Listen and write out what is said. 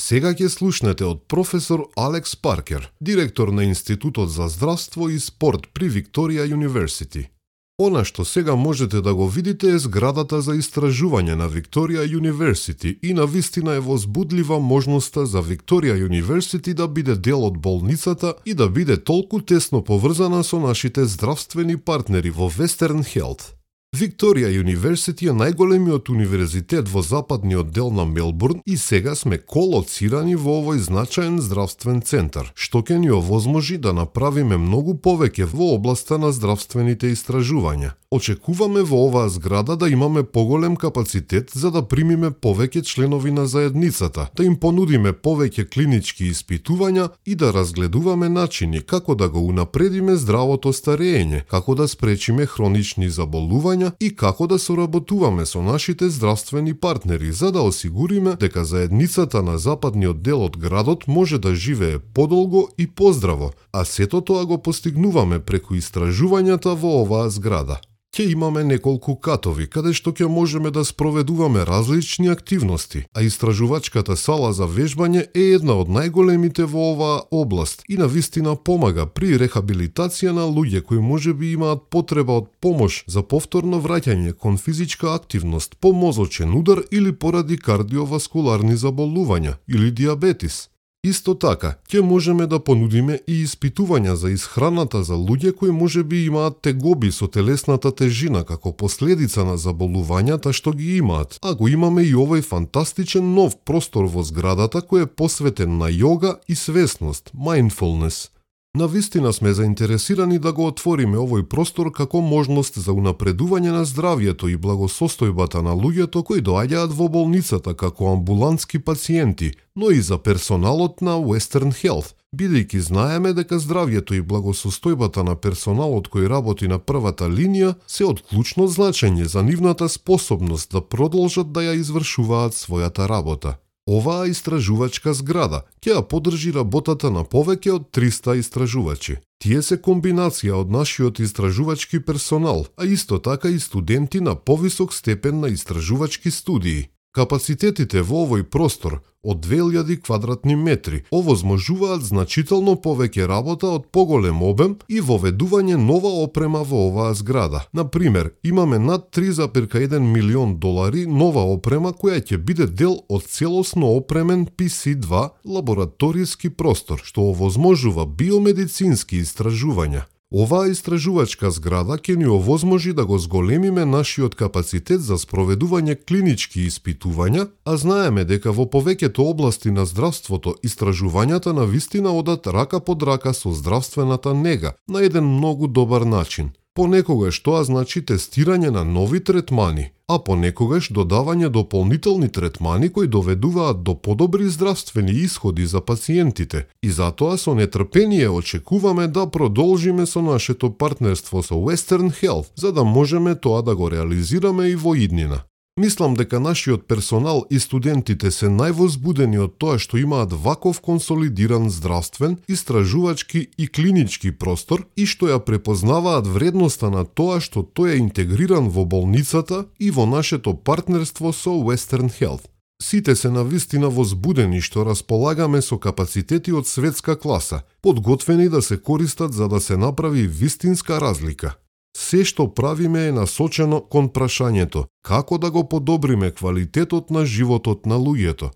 Сега ќе слушнете од професор Алекс Паркер, директор на Институтот за здравство и спорт при Викторија University. Она што сега можете да го видите е зградата за истражување на Викторија University и навистина е возбудлива можноста за Викторија University да биде дел од болницата и да биде толку тесно поврзана со нашите здравствени партнери во Western Health. Викторија University е најголемиот универзитет во западниот дел на Мелбурн и сега сме колоцирани во овој значаен здравствен центар, што ќе ни овозможи да направиме многу повеќе во областа на здравствените истражувања. Очекуваме во оваа зграда да имаме поголем капацитет за да примиме повеќе членови на заедницата, да им понудиме повеќе клинички испитувања и да разгледуваме начини како да го унапредиме здравото старење, како да спречиме хронични заболувања и како да соработуваме со нашите здравствени партнери за да осигуриме дека заедницата на западниот дел од градот може да живее подолго и поздраво, а сето тоа го постигнуваме преку истражувањата во оваа зграда. Ќе имаме неколку катови, каде што ќе можеме да спроведуваме различни активности, а истражувачката сала за вежбање е една од најголемите во оваа област и навистина помага при рехабилитација на луѓе кои можеби имаат потреба од помош за повторно враќање кон физичка активност по мозочен удар или поради кардиоваскуларни заболувања или диабетис. Исто така, ќе можеме да понудиме и испитувања за исхраната за луѓе кои можеби имаат тегоби со телесната тежина како последица на заболувањата што ги имаат, а го имаме и овој фантастичен нов простор во зградата кој е посветен на јога и свесност, mindfulness. Навистина сме заинтересирани да го отвориме овој простор како можност за унапредување на здравјето и благосостојбата на луѓето кои доаѓаат во болницата како амбулантски пациенти, но и за персоналот на Western Health, бидејќи знаеме дека здравјето и благосостојбата на персоналот кој работи на првата линија се од клучно значење за нивната способност да продолжат да ја извршуваат својата работа. Оваа истражувачка зграда ќе ја поддржи работата на повеќе од 300 истражувачи. Тие се комбинација од нашиот истражувачки персонал, а исто така и студенти на повисок степен на истражувачки студии. Капацитетите во овој простор од 2000 квадратни метри овозможуваат значително повеќе работа од поголем обем и воведување нова опрема во оваа зграда. Например, имаме над 3,1 милион долари нова опрема која ќе биде дел од целосно опремен PC2 лабораториски простор, што овозможува биомедицински истражувања. Оваа истражувачка зграда ќе ни овозможи да го зголемиме нашиот капацитет за спроведување клинички испитувања, а знаеме дека во повеќето области на здравството истражувањата навистина одат рака под рака со здравствената нега на еден многу добар начин. Понекогаш тоа значи тестирање на нови третмани, а понекогаш додавање дополнителни третмани кои доведуваат до подобри здравствени исходи за пациентите. И затоа со нетрпение очекуваме да продолжиме со нашето партнерство со Western Health, за да можеме тоа да го реализираме и во иднина. Мислам дека нашиот персонал и студентите се највозбудени од тоа што имаат ваков консолидиран здравствен, истражувачки и клинички простор и што ја препознаваат вредноста на тоа што тој е интегриран во болницата и во нашето партнерство со Western Health. Сите се навистина возбудени што располагаме со капацитети од светска класа, подготвени да се користат за да се направи вистинска разлика. Се што правиме е насочено кон прашањето како да го подобриме квалитетот на животот на луѓето.